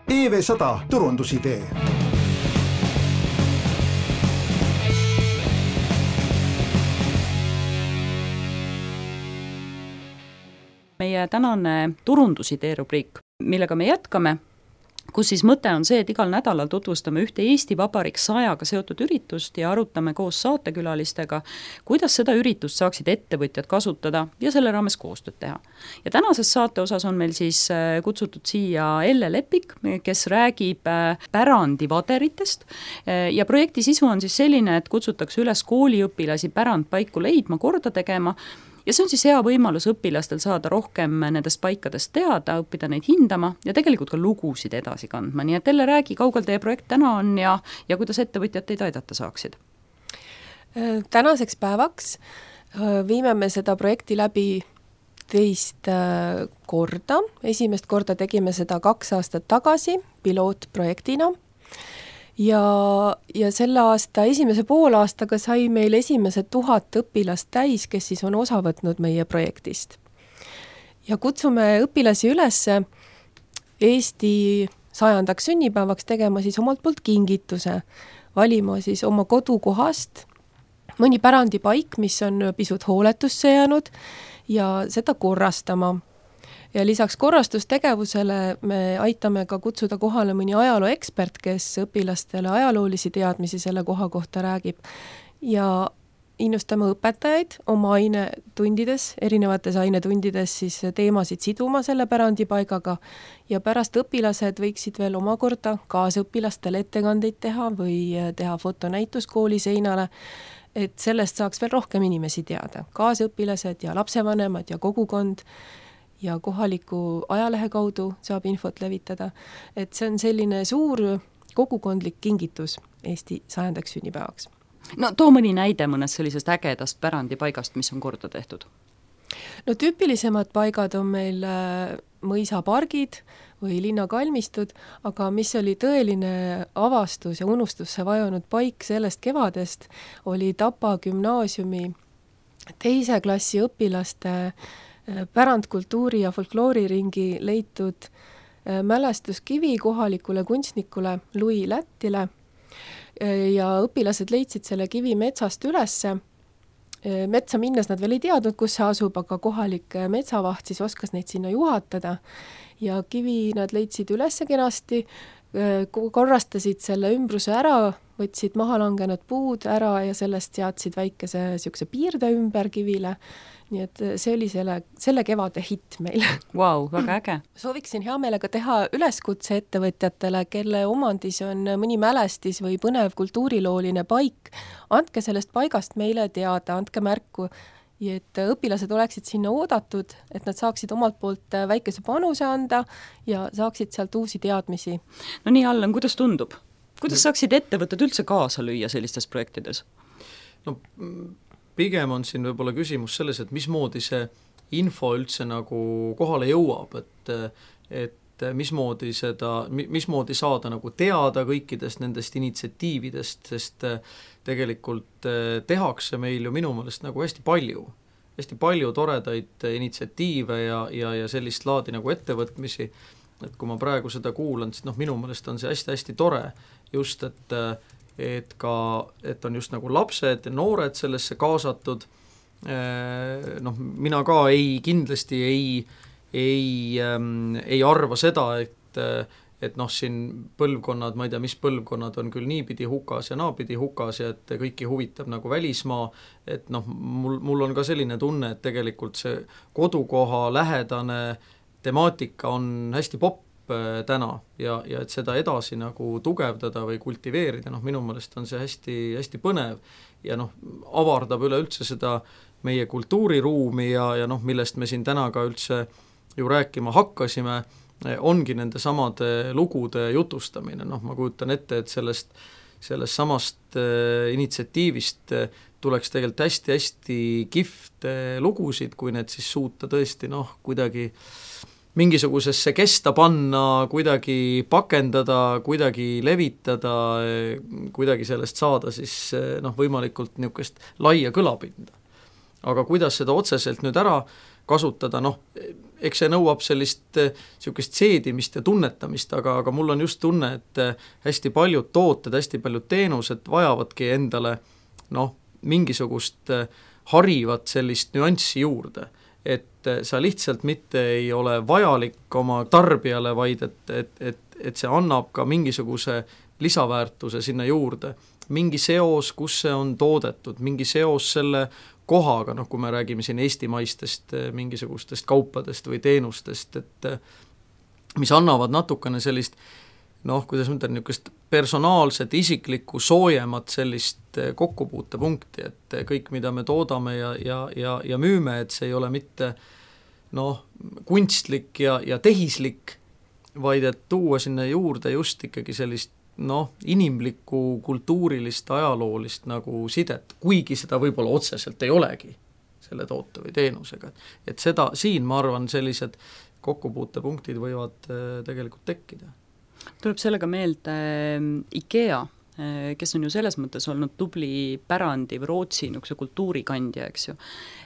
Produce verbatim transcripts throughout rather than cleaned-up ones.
E V sada turundusidee. Meie tänane turundusidee rubriik, millega me jätkame, kus siis mõte on see, et igal nädalal tutvustame ühte Eesti Vabariik sajaga seotud üritust ja arutame koos saatekülalistega, kuidas seda üritust saaksid ettevõtjad kasutada ja selle raames koostööd teha. Ja tänases saate osas on meil siis kutsutud siia Elle Lepik, kes räägib pärandivaderitest ja projekti sisu on siis selline, et kutsutakse üles kooliõpilasi pärandpaiku leidma, korda tegema. Ja see on siis hea võimalus õpilastel saada rohkem nendest paikadest teada, õppida neid hindama ja tegelikult ka lugusid edasi kandma. Nii et Elle, räägi, kaugel teie projekt täna on ja, ja kuidas ettevõtjad teid aidata saaksid? Tänaseks päevaks viime me seda projekti läbi teist korda. Esimest korda tegime seda kaks aastat tagasi pilootprojektina. Ja, ja selle aasta esimese poolaastaga sai meil esimesed tuhat õpilast täis, kes siis on osa võtnud meie projektist. Ja kutsume õpilasi üles Eesti sajandaks sünnipäevaks tegema siis omalt poolt kingituse, valima siis oma kodukohast mõni pärandipaik, mis on pisut hooletusse jäänud ja seda korrastama. Ja lisaks korrastustegevusele me aitame ka kutsuda kohale mõni ajalooekspert, kes õpilastele ajaloolisi teadmisi selle koha kohta räägib. Ja innustame õpetajaid oma ainetundides, erinevates ainetundides siis teemasid siduma selle pärandipaigaga ja pärast õpilased võiksid veel omakorda kaasõpilastele ettekandeid teha või teha fotonäitus kooli seinale, et sellest saaks veel rohkem inimesi teada. Kaasõpilased ja lapsevanemad ja kogukond ja kohaliku ajalehe kaudu saab infot levitada. Et see on selline suur kogukondlik kingitus Eesti sajandaks sünnipäevaks. No too mõni näide mõnest sellisest ägedast pärandipaigast, mis on korda tehtud? No tüüpilisemad paigad on meil mõisapargid või linnakalmistud, aga mis oli tõeline avastus ja unustusse vajunud paik sellest kevadest, oli Tapa gümnaasiumi teise klassi õpilaste pärandkultuuri ja folklooriringi leitud mälestuskivi kohalikule kunstnikule Louis Lättile ja õpilased leidsid selle kivi metsast ülesse. Metsa minnes nad veel ei teadnud, kus see asub, aga kohalik metsavaht siis oskas neid sinna juhatada ja kivi nad leidsid ülesse kenasti, korrastasid selle ümbruse ära, võtsid maha langenud puud ära ja sellest seadsid väikese siukse piirde ümber kivile. Nii et see oli selle, selle kevade hitt meil. Vau, wow, väga äge. Sooviksin hea meelega teha üleskutse ettevõtjatele, kelle omandis on mõni mälestis või põnev kultuurilooline paik. Andke sellest paigast meile teada, andke märku, et õpilased oleksid sinna oodatud, et nad saaksid omalt poolt väikese panuse anda ja saaksid sealt uusi teadmisi. No nii, Allan, kuidas tundub? Kuidas saaksid ettevõtted üldse kaasa lüüa sellistes projektides? No pigem on siin võib-olla küsimus selles, et mismoodi see info üldse nagu kohale jõuab, et, et mismoodi, seda, mismoodi saada nagu teada kõikidest nendest initsiatiividest, sest tegelikult tehakse meil ju minu meelest nagu hästi palju, hästi palju toredaid initsiatiive ja, ja, ja sellist laadi nagu ettevõtmisi, et kui ma praegu seda kuulan, siis noh, minu meelest on see hästi-hästi tore just, et et ka, et on just nagu lapsed ja noored sellesse kaasatud. Noh, mina ka ei, kindlasti ei, ei, ähm, ei arva seda, et, et noh, siin põlvkonnad, ma ei tea, mis põlvkonnad on küll niipidi hukas ja naapidi hukas ja et kõiki huvitab nagu välismaa, et noh, mul, mul on ka selline tunne, et tegelikult see kodukoha lähedane temaatika on hästi popp täna ja, ja et seda edasi nagu tugevdada või kultiveerida, noh minu meelest on see hästi, hästi põnev ja noh, avardab üleüldse seda meie kultuuriruumi ja, ja noh, millest me siin täna ka üldse ju rääkima hakkasime, ongi nende samade lugude jutustamine, noh ma kujutan ette, et sellest, sellest samast äh, initsiatiivist äh, tuleks tegelikult hästi-hästi kihvt lugusid, kui need siis suuta tõesti noh, kuidagi mingisugusesse kesta panna, kuidagi pakendada, kuidagi levitada, kuidagi sellest saada siis noh, võimalikult niisugust laia kõlapinda. Aga kuidas seda otseselt nüüd ära kasutada, noh, eks see nõuab sellist niisugust seedimist ja tunnetamist, aga, aga mul on just tunne, et hästi paljud tooted, hästi paljud teenused vajavadki endale noh, mingisugust harivat sellist nüanssi juurde, et sa lihtsalt mitte ei ole vajalik oma tarbijale, vaid et, et, et, et see annab ka mingisuguse lisaväärtuse sinna juurde, mingi seos, kus see on toodetud, mingi seos selle kohaga, noh kui me räägime siin eestimaistest mingisugustest kaupadest või teenustest, et mis annavad natukene sellist noh, kuidas mõtlen, niisugust personaalset, isiklikku, soojemat sellist kokkupuutepunkti, et kõik, mida me toodame ja, ja, ja, ja müüme, et see ei ole mitte noh, kunstlik ja, ja tehislik, vaid et tuua sinna juurde just ikkagi sellist noh, inimlikku, kultuurilist, ajaloolist nagu sidet, kuigi seda võib-olla otseselt ei olegi selle toote või teenusega. Et seda, siin ma arvan, sellised kokkupuutepunktid võivad tegelikult tekkida. Tuleb sellega meelde IKEA, kes on ju selles mõttes olnud tubli pärandi või Rootsi niisuguse kultuurikandja, eks ju.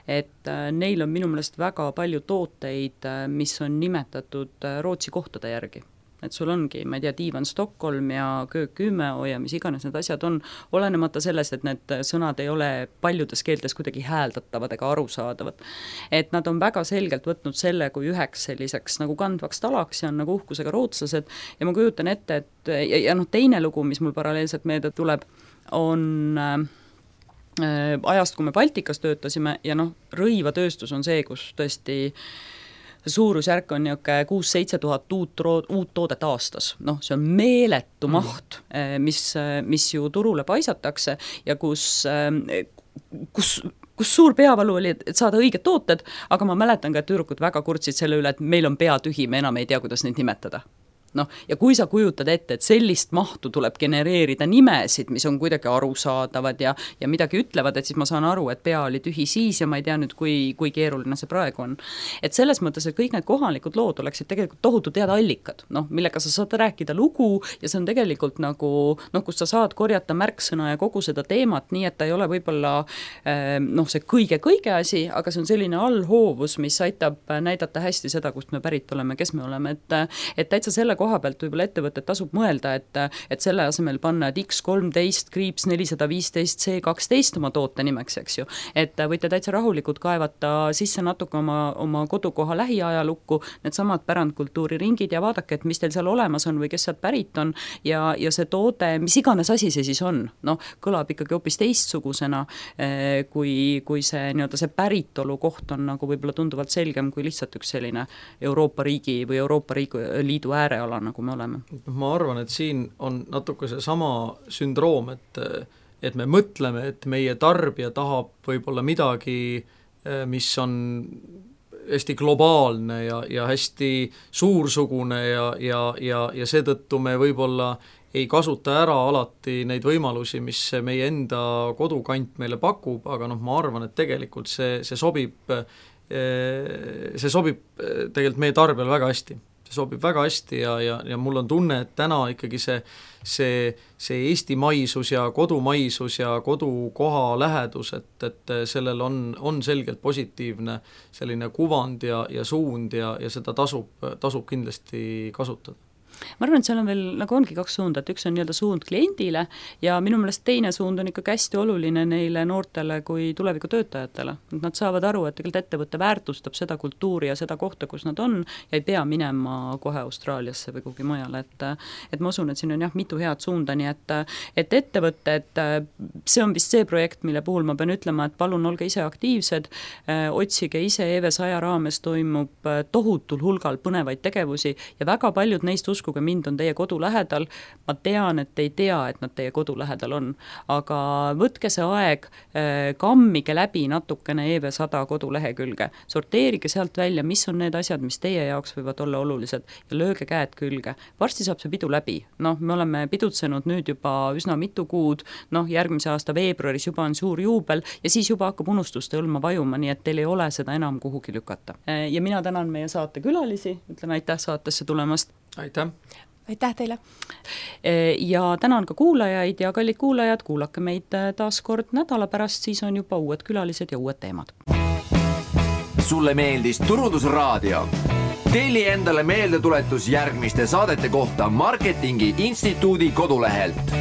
Et neil on minu meelest väga palju tooteid, mis on nimetatud Rootsi kohtade järgi. Et sul ongi, ma ei tea, diivan Stockholm ja köök Ümeå ja mis iganes need asjad on, olenemata sellest, et need sõnad ei ole paljudes keeltes kuidagi hääldatavad ega arusaadavad. Et nad on väga selgelt võtnud selle kui üheks selliseks nagu kandvaks talaks ja on nagu uhkusega rootslased ja ma kujutan ette, et ja, ja noh, teine lugu, mis mul paralleelselt meelde tuleb, on äh, ajast, kui me Baltikas töötasime ja noh, rõivatööstus on see, kus tõesti suurusjärk on niisugune kuus-seitse tuhat uut, uut toodet aastas. Noh, see on meeletu maht, mis, mis ju turule paisatakse ja kus, kus, kus suur peavalu oli, et saada õiged tooted, aga ma mäletan ka, et tüdrukud väga kurtsid selle üle, et meil on pea tühi, me enam ei tea, kuidas neid nimetada. Noh, ja kui sa kujutad ette, et sellist mahtu tuleb genereerida nimesid, mis on kuidagi arusaadavad ja, ja midagi ütlevad, et siis ma saan aru, et pea oli tühi siis ja ma ei tea nüüd, kui, kui keeruline see praegu on. Et selles mõttes, et kõik need kohalikud lood oleksid tegelikult tohutu teada allikad, noh, millega sa saad rääkida lugu ja see on tegelikult nagu, noh, kus sa saad korjata märksõna ja kogu seda teemat, nii et ta ei ole võib-olla noh, see kõige-kõige asi, aga see on selline allhoovus, mis aitab näidata hästi seda, kust me pärit oleme, kes me oleme, et, et täitsa selle koha pealt võib-olla ettevõtet tasub mõelda, et, et selle asemel panna X kolmteist, kriips nelisada viisteist, C kaksteist oma toote nimeks, eks ju. Et võite täitsa rahulikult kaevata sisse natuke oma, oma kodukoha lähiajalukku, need samad pärandkultuuri ringid ja vaadake, et mis teil seal olemas on või kes sealt pärit on ja, ja see toode, mis iganes asi see siis on, noh, kõlab ikkagi hoopis teistsugusena, kui, kui see, nii-öelda see päritolu koht on nagu võib-olla tunduvalt selgem kui lihtsalt üks selline Euroopa riigi või Euroopa Liidu ääreala nagu me oleme. Ma arvan, et siin on natuke see sama sündroom, et, et me mõtleme, et meie tarbija tahab võib-olla midagi, mis on hästi globaalne ja, ja hästi suursugune ja, ja, ja, ja seetõttu me võib-olla ei kasuta ära alati neid võimalusi, mis meie enda kodukant meile pakub, aga noh, ma arvan, et tegelikult see, see sobib, see sobib tegelikult meie tarbijale väga hästi. See sobib väga hästi ja, ja, ja mul on tunne, et täna ikkagi see, see, see eestimaisus ja kodumaisus ja kodukoha lähedus, et, et sellel on, on selgelt positiivne selline kuvand ja, ja suund ja, ja seda tasub, tasub kindlasti kasutada. Ma arvan, et seal on veel, nagu ongi kaks suunda, et üks on nii-öelda suund kliendile ja minu meelest teine suund on ikka hästi oluline neile noortele kui tuleviku töötajatele. Nad saavad aru, et tegelikult ettevõtte väärtustab seda kultuuri ja seda kohta, kus nad on ja ei pea minema kohe Austraaliasse või kuhugi mujale, et, et ma usun, et siin on jah mitu head suunda, nii et, et ettevõtte, et see on vist see projekt, mille puhul ma pean ütlema, et palun olge ise aktiivsed, otsige ise E V saja raames toimub tohutul hulgal põnevaid tegevusi ja väga paljud neist uskuvad, kui mind on teie kodu lähedal, ma tean, et ei tea, et nad teie kodu lähedal on, aga võtke see aeg, kammige läbi natukene E V sada kodulehekülge, sorteerige sealt välja, mis on need asjad, mis teie jaoks võivad olla olulised ja lööge käed külge. Varsti saab see pidu läbi, noh, me oleme pidutsenud nüüd juba üsna mitu kuud, noh, järgmise aasta veebruaris juba on suur juubel ja siis juba hakkab unustuste hõlma vajuma, nii et teil ei ole seda enam kuhugi lükata. Ja mina tänan meie saate külalisi, ütlen aitäh saatesse tulemast. Aitäh! Aitäh teile! Ja tänan ka kuulajaid ja kallid kuulajad, kuulake meid taas kord nädala pärast, siis on juba uued külalised ja uued teemad. sulle meeldis Turundusraadio? Telli endale meeldetuletus järgmiste saadete kohta Marketingi Instituudi kodulehelt